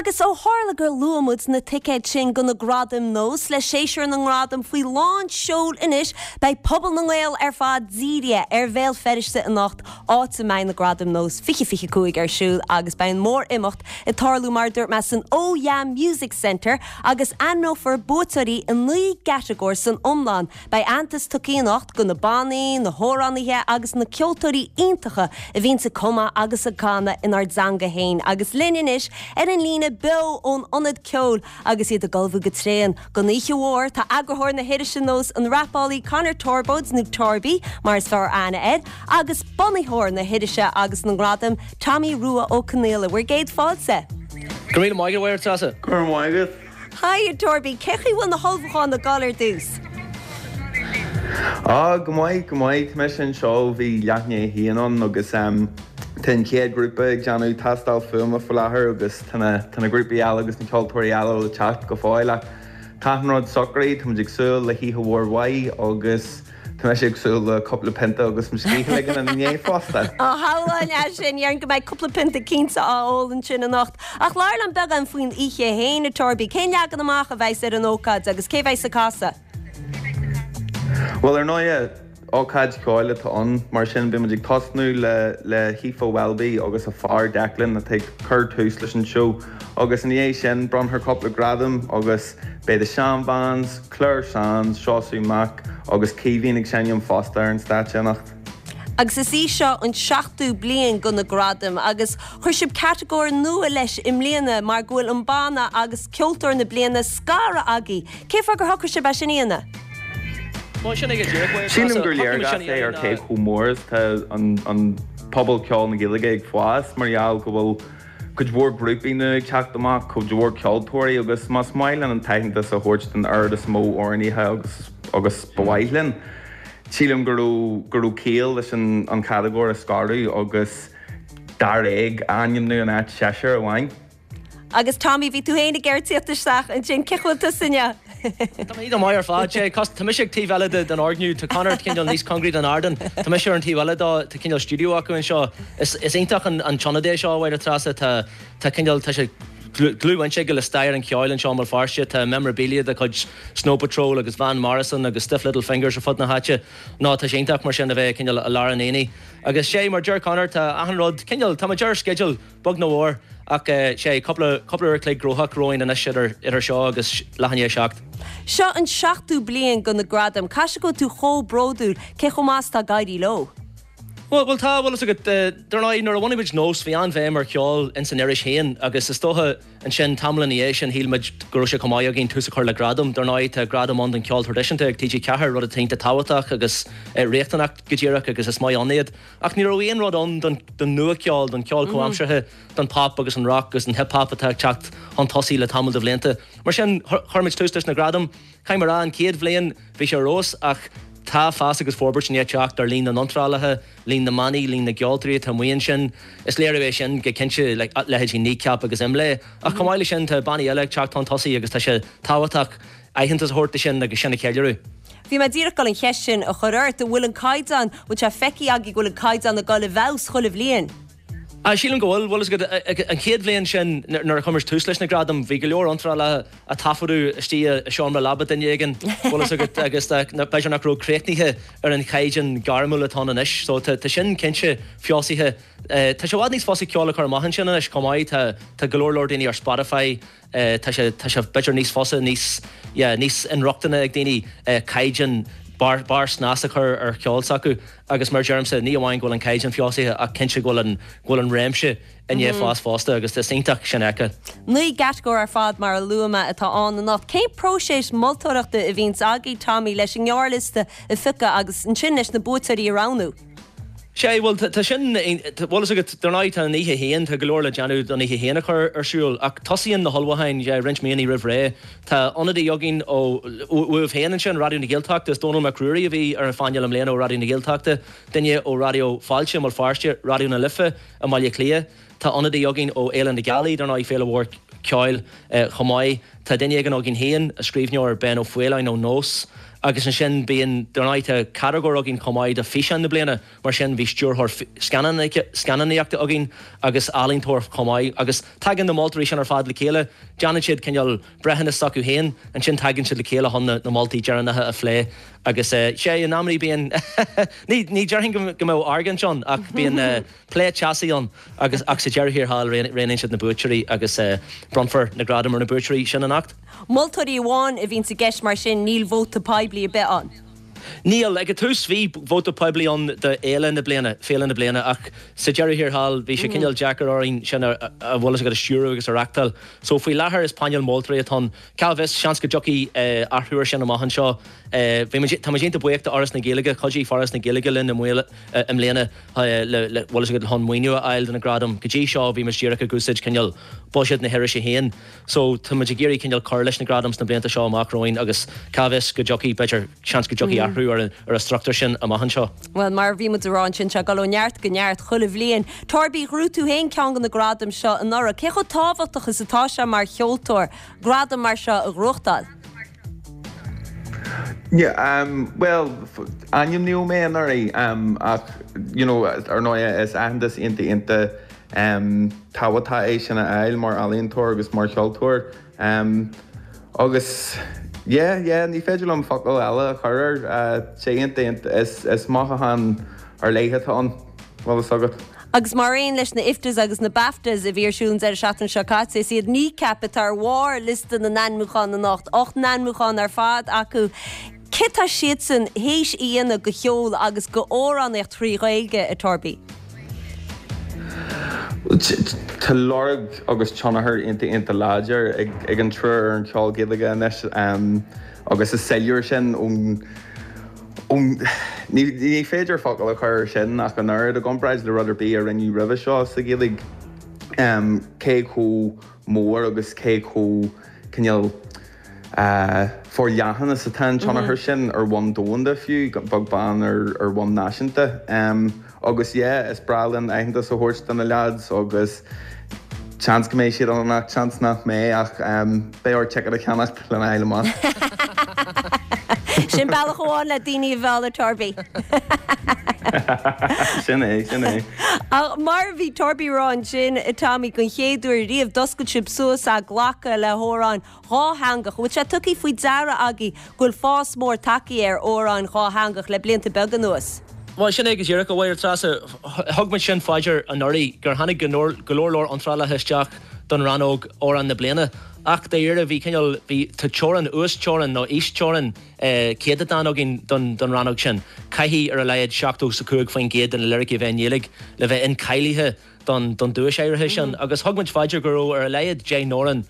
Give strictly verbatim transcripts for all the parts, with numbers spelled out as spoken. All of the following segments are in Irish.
Agus ó tharla gur luaigh muid na ticéid sin go na gradaim Nós le séasúr na ngradam faoi lán seoil anois, beidh pobal na nGael ar fad dírithe ar Bhéal Feirste anocht áit a mbeidh na gradaim Nós fiche fiche cúig ar siúl agus beidh an mór-imeacht ag tarlú mar dúirt mé san Oh Yeah Music Centre agus ainmneofar buaiteoirí i naoi gcatagóir san iomlán. Beidh aitheantas tugtha anocht go na bannaí, na hamhránaithe agus na ceoltóirí iontacha a bhíonn ag cumadh agus ag canadh inár dteanga féin agus linn anois ar an líne beo ón ionad ceoil agus iad ag ullmhú go tréan. Don oíche mhór tá eagarthóir na hirise Nós an rapálaí Conor Torbóid nó Torby mar is fearr aithne air, agus bunaitheoir na hirise agus na ngradam Tommy Rua Ó Conghaile bhur gcéad fáilte. Go raibh maith agat Treasa. Go raibh maith agat. Hi Torby, cén chaoi bhfuil na hullmhúcháin ag dul ar dtús. Á go maith go maith me sin seo bhí leathné hían agus um, Tá an chéad grúpa ag déanamh tástáil fuaime faoi láthair agus tá na grúpaí eile agus na ceoltóirí eile le teacht go fóill ach tá an rud socraithe tá ag súil le hoíche mhór mhaith agus Tá sé ag súil le cúpla pionta agus mo scíth a ligean inné fosta. Á hááin é sin dhéarfainn go mbeidh cúpla pionta cinnte á ól ansin anocht. Ach labhair liom beagán faoin oíche féin a Torby, cén leagan amach a bheas ar an ócáid agus cé bheas ag casadh? Well ar ndóigh ócáid ceoil atá ann mar sin beimid ag tosnú le le hAoife Welby agus a fear Declan atá ag cur tús leis an seó agus ina dhiaidh sin bronnfar cúpla gradam agus beidh The Shan Vans, Clare Sands, Seosamh Mac agus Caoimhín ag seinm fosta ar an stáitse anocht. Agus is í seo an seachtú bliain go na gradaim agus chuir sibh catagóir nua leis i mbliana mar go bhfuil an banna agus ceoltóir na bliana scartha agaibh. Cén fáth gur shocraigh sibh é sin a dhéanamh? Sílim gur léargas é ar cé chomh mór tá an pobal ceoil na Gaeilge ag fás mar gheall go bhfuil cuid mhór grúpaí nua ag teacht amach, cuid mhór ceoltóirí agus más maith linn an t-aitheantas a thabhairt don oiread is mó amhránaithe agus agus ba mhaith linn. Sílim go raibh go raibh ciall leis an an catagóir a scaradh agus dáréag a ainmniú in áit seisear amháin. Agus Tommy bhí tú féin ag tíocht isteach ansin cén chaoi a bhfuil tú inniu. Tá mé maith ar fad sé Tá mise ag taobh eile den fhoirgneamh tá Conor cineál níos cóngaraí don ardán Tá mise ar an taobh eile dó tá cineál stiúideo acu anseo Is is iontach an an tionad é seo a Treasa tá tá cineál tá sé dlúthbhaint aige le stair an cheoil anseo i mBéal Feirste tá memorabilia de chuid Snow Patrol agus Van Morrison agus Stiff Little Fingers ar fud na háite ná tá sé iontach mar sin a bheith cineál i lár an aonaigh. Agus sé mar deir Conor tá achan rud cineál tá muid ar sceideal beag nó mór ach sé cúpla cúpla uair chloig gnóthach romhainn anois idir idir seo agus leath i ndiaidh a seacht. Seo an seachtú bliain go na gradaim, Caithfidh go bhfuil tú chomh bródúil cé chomh maith is atá ag éirí leo. Well well tá bhfuil agat dar ndóigh nuair a bhunaigh muid Nós bhí an-bhéim ar cheol in san iris féin agus is dócha ansin tamall ina dhiaidh sin shíl muid go raibh sé chomh maith againn tús a chur le gradam. Dar ndóigh tá gradam ann don cheol traidisiúnta ag TG Ceathair rud atá iontach tábhachtach agus riachtanach go díreach agus is maith ann iad. Ach ní raibh aon rud ann don don nuacheol, don cheol comhaimseartha, don pop agus an rock agus an hip hop atá ag teacht chun tosaigh le tamall de bhlianta. Mar sin chuir muid tús leis na gradaim, Caithfidh mé a rá an chéad bhliain bhí sé ar fheabhas ach tá fás agus forbairt i ndiaidh teacht ar líon na n-iontrálaithe, líon na mbannaí, líon na gceoltóirí atá amuigh ansin. Is léiriú é sin go cinnte le leithéidí Kneecap agus Imlé. Ach chomh maith leis sin tá bannaí eile ag teacht chun tosaigh agus tá sé tábhachtach aitheantas a thabhairt do sin agus sin a cheiliúradh. Bhí mé díreach ag dul an cheist sin a chur ort, an bhfuil an caighdeán, bhfuil sé feicthe agaibh go bhfuil an caighdeán ag dul i bhfeabhas chuile bhliain? Ah, sílim go bhfuil bhfuil an chéad bhliain sin nuair a chuir muid tús leis na gradaim, bhí go leor iontrálacha a taifeadadh istigh i seomra leaba duine éigin bhfuil agat agus b'fhéidir nach raibh críochnaithe ar an chaighdeán gairmiúil atá ann anois, so tá sin cinnte feabhsaithe. Tá sé i bhfad níos fusa ceol a chur amach ansin anois chomh maith, tá tá go leor leor daoine ar Spotify, tá sé tá sé b'fhéidir níos fusa níos yeah, níos inrochtana ag daoine caighdeán barr barr snas a chur ar cheol s'acu agus mar deirimse ní amháin go bhfuil an caighdeán feabhsaithe ach cinnte go bhfuil an go bhfuil an réimse i ndiaidh fás fosta agus is iontach sin a fheiceáil. Naoi gcatagóir ar fad mar a luaigh mé atá ann anocht. Cén próiseas moltóireachta a bhíonns agaibh Tommy leis an ngearrliosta a phiocadh agus ansin leis na buaiteoirí a roghnú? Sé bhuel tá sin bhfuil agat dar ndóigh tá an oíche féin tá go leor le déanamh don oíche féin a chur ar siúl ach tosaíonn na hullmhúcháin roinnt míonna roimh ré. Tá ionadaí againn ó uaibh féin ansin Raidió na Gaeltachta is Dónal Mac Ruairí a bhí ar an phainéal i mbliana ó Raidió na Gaeltachta, duine ó Raidió Fáilte i mBéal Feirste, Raidió na Life i mBaile Átha Cliath. Tá ionadaí againn ó Fhéile na Gealaí dar ndóigh féile mhór ceoil chomh maith. Tá duine éigin againn féin, a scríbhneoir Ben Ó Faoláin ó Nós. Agus ansin bíonn dar ndóigh tá catagóir againn chomh maith do físeán na bliana, mar sin bhí stiúrthóir scannánaíochta againn agus ealaíontóir chomh maith. Agus tagann na moltóirí sin ar fad le chéile, déanann siad cineál breithiúnas s'acu féin, ansin tagann siad le chéile chun na moltaí deireanacha a phlé. Agus sea, in amannaí bíonn, ní ní déarfainn go go mbeadh argóint ann ach bíonn plé teasaí ann agus ach sa deireadh thiar thall roghnaíonn siad na buaiteoirí agus bronnfar na gradaim ar na buaiteoirí sin anocht. Moltóirí amháin a bhíonn i gceist mar sin, níl vóta poiblí ar bith ann. Níl, ag an tús bhí vóta poiblí ann do fhéile na bliana, féile na bliana, ach sa deireadh thiar thall bhí sé cineál deacair orainn sin a bhfuil fhios agat a stiúradh agus a reachtáil. So faoi láthair is painéal moltóirí atá ann. Cá bhfios, seans go dtiocfaidh athrú ar sin amach anseo. Bhí muid, tá muid iontach buíoch do Fhoras na Gaeilge, chuidigh Foras na Gaeilge linn i mbliana le bhfuil fhios agat chun maoiniú a fháil do na gradaim. Go dtí seo bhí muid díreach ag úsáid cineál buiséad na hirise féin. So tá muid ag iarraidh cineál cur leis na gradaim sna blianta seo amach romhainn agus cá bhfios go dtiocfaidh, b'fhéidir, seans go dtiocfaidh athrú ar an ar an struchtúr sin amach anseo. Bhuel, mar a bhí muid a rá ansin, tá ag dul ó neart go neart chuile bhliain. Torby, ghnóthaigh tú féin ceann de na gradaim seo anuraidh. Cé chomh tábhachtach is atá sé mar cheoltóir gradam mar seo a ghnóthachtáil? Yeah, um, well, ainmníodh mé anuraidh um, ach you know, ar ndóigh is aitheantas iontach iontach um, tábhachtach é sin a fháil mar ealaíontóir agus mar cheoltóir. Um, agus yeah, yeah, ní féidir liom focal eile a chur air uh, sé iontach iontach is, is mothúchán ar leith atá ann, bhfuil fhios agat. Agus mar aon leis na IFTAs agus na BAFTAs a bhí ar siúl an deireadh seachtaine seo caite, is iad Kneecap atá ar bharr liosta na n-ainmniúchán anocht, ocht n-ainmniúchán ar fad acu. Cé tá siadsan théis a dhéanamh do cheol agus do amhránaíocht trí Ghaeilge, a Torby? Tá lorg agus tionchar iontach iontach láidir ag, ag an triúr ar an cheol Gaeilge anois um, agus is soiléir sin ón ón ní, ní féidir focal a chur sin ach an oiread i gcomparáid le rud ar bith a rinneadh roimhe seo sa Ghaeilge um, cé chomh mór agus cé chomh cineál uh, forleathan is atá an tionchar sin ar bhonn domhanda fiú beag beann ar ar bhonn náisiúnta. Um, agus yeah, is breá linn aitheantas a thabhairt do na lads agus seans go mbeidh siad ann ach seans nach mbeidh ach um, beidh ort ticket a cheannacht lena fháil amach. Sin bealach amháin le daoine a mhealladh Torby. Sin é, sin é. Ach mar bhí Torby ag rá ansin Tommy don chéad uair riamh d'oscail sibh suas a glacadh le hamhráin dhátheangach, bhfuil sé tugtha faoi deara agaibh go bhfuil fás mór tagtha ar amhráin dhátheangach le blianta beaga anuas. Well sin é go díreach a Mháire Treasa thug muid sin faoi deara anuraidh gur tháinig go leor go leor leor iontrálacha isteach don rannóg amhrán na bliana. Ach dáiríre bhí cineál bhí tá teorainn uasteorainn nó íosteorainn céatadán againn don don rannóg sin. Caithfidh ar a laghad seachtó is a cúig faoin gcéad de na liricí a bheith i nGaeilge le bheith incháilithe don don duais áirithe sin. Agus thug muid faoi deara go raibh ar a laghad deich n-amhrán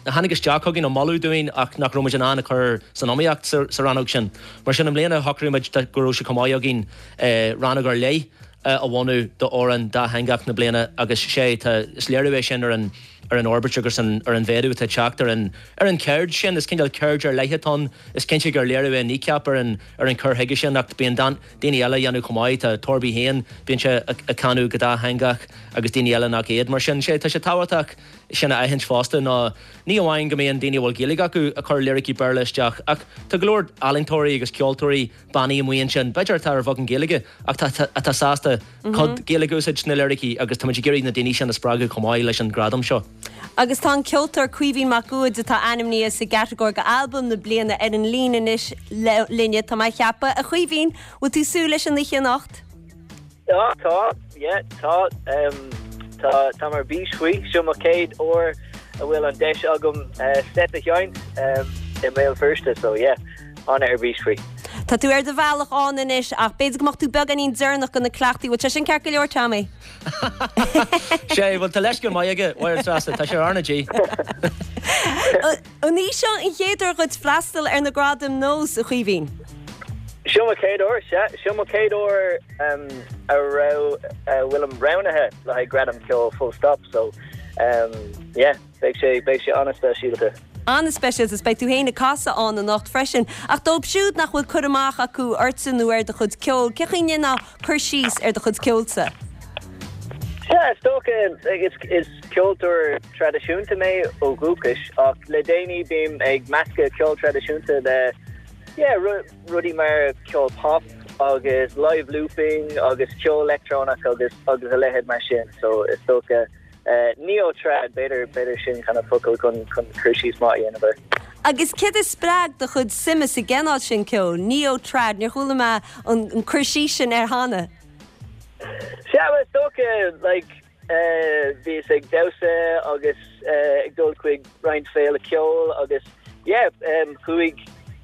a tháinig isteach chugainn a moladh dúinn ach nach raibh muid in ann a chur san iomaíocht sa, sa rannóg sin. Mar sin i mbliana shocraigh muid go raibh sé chomh maith againn eh, rannóg ar leith a bhunú d'amhrán dátheangach na bliana agus sé tá is léiriú é sin ar an ar an fhorbairt agus an ar an mhéadú atá teacht ar an ar an cheird sin is cineál ceird ar leith atá ann is cinnte gur léiriú é Kneecap ar an ar an cur chuige sin ach bíonn daoine eile déanamh chomh maith tá Torby féin bíonn sé ag canadh go dátheangach agus daoine eile nach iad mar sin sé tá sé tábhachtach sin a aithint fosta ná ní amháin go mbíonn daoine bhfuil Gaeilge acu ag cur liricí Béarla isteach ach tá go leor ealaíontóirí agus ceoltóirí bannaí amuigh ansin b'fhéidir atá ar bheagán Gaeilge ach atá sásta cuid Gaeilge a úsáid sna liricí agus tá muid ag iarraidh na daoine sin a spreagadh chomh maith leis an gradam seo. Agus tá an ceoltóir Caoimhín Mac Uaid atá ainmnithe sa gcatagóir do albam na bliana ar an líne anois linne tá mé ag ceapadh a Chaoimhín, bhfuil tú súil leis an oíche anocht? Ja, tá, yeah, tá um, tá tá ar bís faoi seo mo chéad uair a bhfuil an deis agam uh, set a sheinnt um, i mBéal Feirste, so yeah, an ar bís faoi. Tá tú ar do bhealach ann anois ach b'fhéidir go mbeadh tú beagáinín deireanach go na cleachtaí, bhfuil sé sin ceart go leor Tommy? Sé bhfuil tá leis go maith aige Mháire Treasa tá sé arna G. An í seo an chéad uair dhuit freastal ar na gradaim nós a Chaoimhín? Seo mo chéad uair seo mo chéad uair um, a raibh uh, bhfuilim roghnaithe le haghaidh gradam ceoil full stop so um, yeah, beidh sé beidh sé an-speisialta. An-speisialta is beidh tú féin ag casadh ann anocht freisin, ach dóibh siúd nach bhfuil cur amach acu ortsa nó ar do chud ceol, ce chuine ná cur síos ar do chud ceolsa? Yeah, is dócha is, is ceoltóir traidisiúnta mé ó dhúchas ach le déanaí bím ag meascadh ceol traidisiúnta le yeah, rudaí mar ceol pop agus live looping agus ceol leictreonach agus agus a leithéid mar sin so is dócha uh, neo trad b'fhéidir b'fhéidir sin kind of focal chun chun cur síos maith a dhéanamh air. Agus céard a spreag do chuid suime sa gcineál sin ceoil, neo trad, níor chuala mé an, an cur síos sin air cheana. Sea is dócha like uh, bhíos ag damhsa agus uh, ag dul chuig roinnt féile ceoil agus yeah, um, chuaigh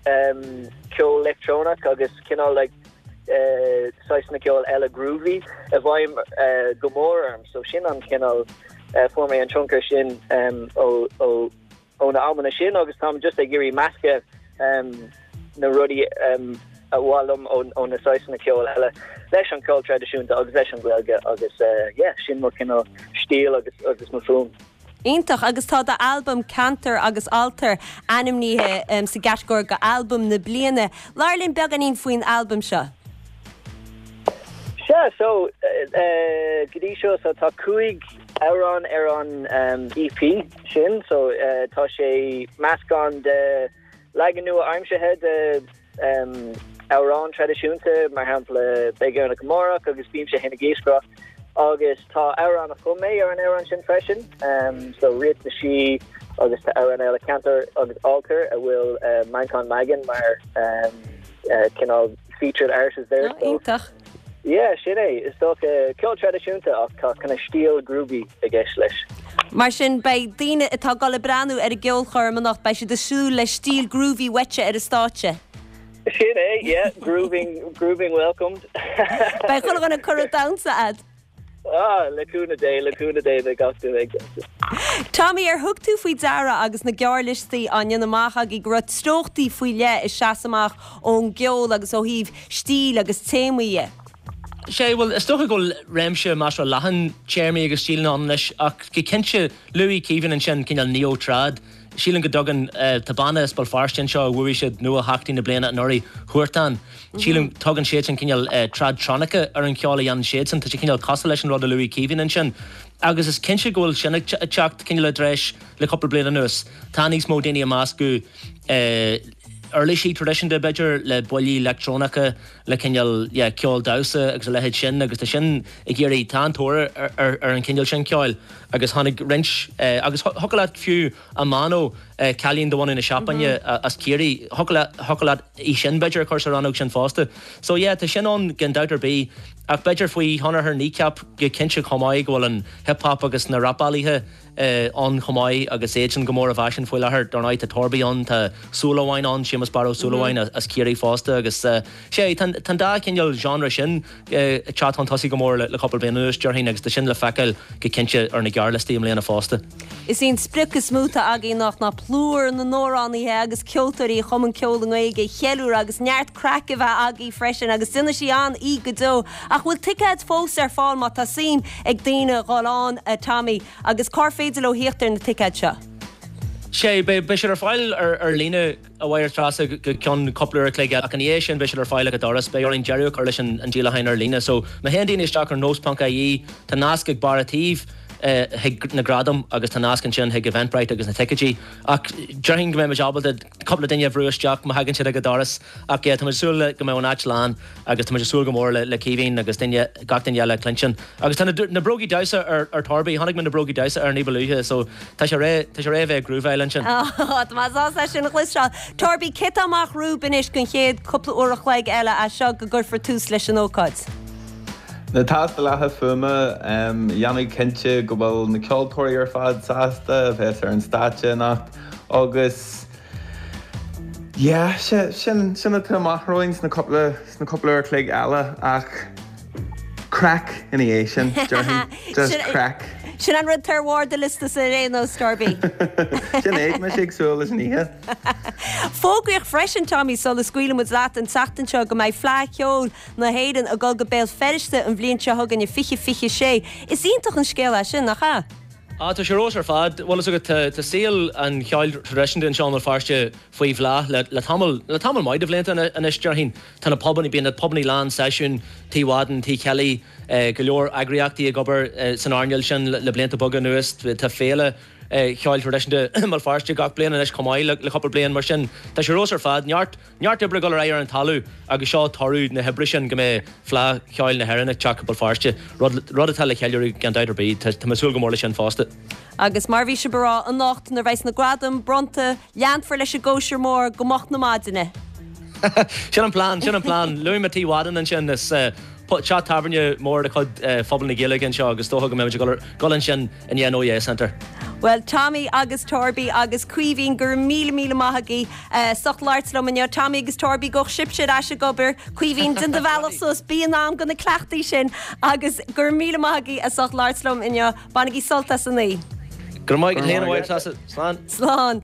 um, ceol leictreonach agus cineál like uh, saghas ceol eile groovy i bhfeidhm uh, go mór orm so sin an cineál uh, fuair mé an tionchar sin um, ó ó ó na amanna sin agus táim just ag iarraidh meascadh um, na rudaí um, a bhfoghlaim ó na saghsanna ceoil eile leis an ceol traidisiúnta agus leis an Ghaeilge agus uh, yeah, sin mo cineál stíl agus agus mo fuaim. Iontach agus tá d'albam Cantar agus Altar ainmnithe um, sa gcatagóir go albam na bliana. Labhair linn beagáinín faoin albam seo. Sea so uh, go dtí seo so tá cúig amhrán ar an um, EP sin so uh, tá sé meascán de leagan nua-aimseartha de um, amhrán traidisiúnta mar shampla Beidh Éireannach Amárach agus Bímse Féin ag Iascaireacht agus tá amhrán a chum mé ar an amhrán sin freisin um, so Ríocht na Sí agus tá amhrán eile Cantar agus Altar a bhfuil uh, Manchán Magan mar um, uh, cineál featured artist there. Oh, so, Yeah, sin é is dócha ceol traidisiúnta ach tá kind of stíl groovy i gceist leis. Mar sin beidh daoine atá ag dul ag breathnú ar an gceolchoirm anocht beidh siad ag súil le stíl groovy uaitse ar an stáitse. Sin é, yeah, grooving grooving welcomed. Beidh chuile dhuine ag cur damhsa a'd. Ah, le cúnamh Dé le cúnamh Dé beidh gach duine ag. Tommy ar thug tú faoi deara agus na gearrliostaí á ndéanamh amach agaibh go raibh treochtaí faoi leith ag seasamh amach ón gceol agus ó thaobh stíl agus téamaí dhe. Sé bhuel is dócha go bhfuil réimse measartha leathan téarmaí agus stíleanna ann anois ach go cinnte luaigh Caoimhín ansin cineál neo-trad. Sílim go dtugann uh, tá banna as Béal Feirste anseo a bhuaigh siad Nuatheachtaí na bliana anuraidh Huartan. Sílim tugann siad sin cineál uh, tradtronica ar an cheol a dhéanann siad sin, tá sé cineál cosúil leis an rud a luaigh Caoimhín ansin. Agus is cinnte go bhfuil sin ag teacht cineál i dtreis le cúpla bliain anuas. Tá níos mó daoine ag meascadh uh, uirlisí traidisiúnta b'fhéidir le buillí leictreonacha le cineál yeah, ceol damhsa agus a leithéid sin agus tá sin ag éirí tá an-tóir ar, ar, ar an cineál sin ceoil agus tháinig roinnt eh, agus thiocfadh leat fiú Amano eh, cailín de bhunadh na Seapáine mm -hmm. as Ciarraí thiocfadh leat í sin b'fhéidir a chur sa rannóg sin fosta. So yeah, tá sin ann gan dabht ar bith ach b'fhéidir faoi thionchar Kneecap go cinnte chomh maith go bhfuil an hip-hop agus na rapálaithe uh, ann chomh maith agus iad sin go mór i bhfaisean faoi láthair dar ndóigh tá Torby ann tá Súilleabháin ann Séamus Barra Ó Súilleabháin mm -hmm. as Ciarraí fosta agus uh, sé tá dá cineál genre sin uh, teacht chun tosaigh go mór le, le cúpla bliain anuas déarfainn agus tá sin le feiceáil go cinnte ar na gearrliostaí i mbliana fosta. Is í an sprioc is mó atá againn anocht ná plúr na n-amhránaithe agus ceoltóirí a chumann ceol i nGaeilge a cheiliúradh agus neart craic a bheith agaibh freisin agus déanfaidh sí an-aoi go deo ach bhfuil ticéid fós ar fáil má tá suim ag daoine dhul ann a Tommy agus cár féidir leo theacht ar na ticéid seo. Sé beidh siad ar fáil ar, ar líne a Mháire Treasa go ceann cúpla uair a chloig ach ina dhiaidh sin beidh siad ar fáil ag an doras beidh orainn deireadh a chur leis an, an díolachán ar líne so má théann daoine isteach ar nós.ie tá nasc ag barr an tsuímh chuig na gradaim agus tá nasc ansin chuig Eventbrite agus na ticéidí ach déarfainn go mbeidh ábalta cúpla duine a bhrú isteach má thagann siad ag an doras ach yeah, tá súil go mbeidh an áit lán agus tá súil go mór le, le Caoimhín agus duine gach duine eile cluinstin. Agus tá na, na brógaí damhsa ar, ar Torby chonaic mé na brógaí damhsa ar ní ba luaithe so tá sé réidh tá sé réidh bheith grooveáil ansin. Tá mé sin a chloisteáil. Torby cad tá amach romhaibh anois don chéad cúpla uair a chloig eile as seo go gcuirfear tús leis an ócáid. Na tástálacha fuaime déanamh cinnte go bhfuil na ceoltóirí ar fad sásta a bheith ar an stáitse anocht agus yeah, sin sin sin atá amach romhainn sna cúpla sna cúpla uair a chloig eile ach craic ina dhiaidh sin déarfainn just craic. Sin an rud ar bharr do liosta sa réno Torby. Sin é me sé súil leis an oíche. Fógraíodh freisin Tommy sula scaoilfidh muid leat an tseachtain seo go mbeidh Fleadh Cheoil na hÉireann ag dul go Béal Feirste an bhliain seo chugainn i fiche fiche sé. Is iontach an scéal é sin nach ea? Ah tá sé rós ar fad bhfuil agat tá saol an cheoil traidisiúnta anseo i mBéal Feirste faoi bhláth le le tamall le tamall maith de bhlianta anois déarfainn tá na pubanna bíonn na pubanna lán seisiún Tigh Mhadan Tigh Kelly go leor eagraíochtaí ag obair san earnáil sin le blianta beaga anuas tá féile Cheoil Thraidisiúnta i mBéal Feirste gach bliain anois chomh maith le cúpla bliain. Mar sin, tá sé ar fheabhas ar fad. Neart, neart oibre ag dul ar aghaidh ar an talamh agus seo toradh na hoibre sin go mbeidh Fleadh Cheoil na hÉireann ag teacht go Béal Feirste, rud, rud atá le ceiliúradh gan dabht ar bith. Tá, tá mé ag súil go mór leis sin fosta. Agus mar bhí sibh a rá, anocht nuair a bheas na gradaim bronnta, leanfar leis an gcóisir mhór go moch na maidine. Sin an plean, sin an plean. Luaigh mé Tigh Mhadden ansin, is teach tábhairne mór de chuid phobal na Gaeilge anseo agus is dócha go mbeimid ag dul ansin i ndiaidh an Oh Yeah Centre. Bhuel, Tommy agus Torby agus Caoimhín, go raibh míle míle maith agaibh as ucht labhairt liom inniu. Tommy agus Torby, gabhadh sibhse ar ais ag obair. Caoimhín, déan do bhealach suas, bí in am do na cleachtaí sin agus go raibh míle maith agaibh as ucht labhairt liom inniu. Bainigí sult as an oíche. Go raibh maith agat féin, a Mháire Treasa. Slán. Slán.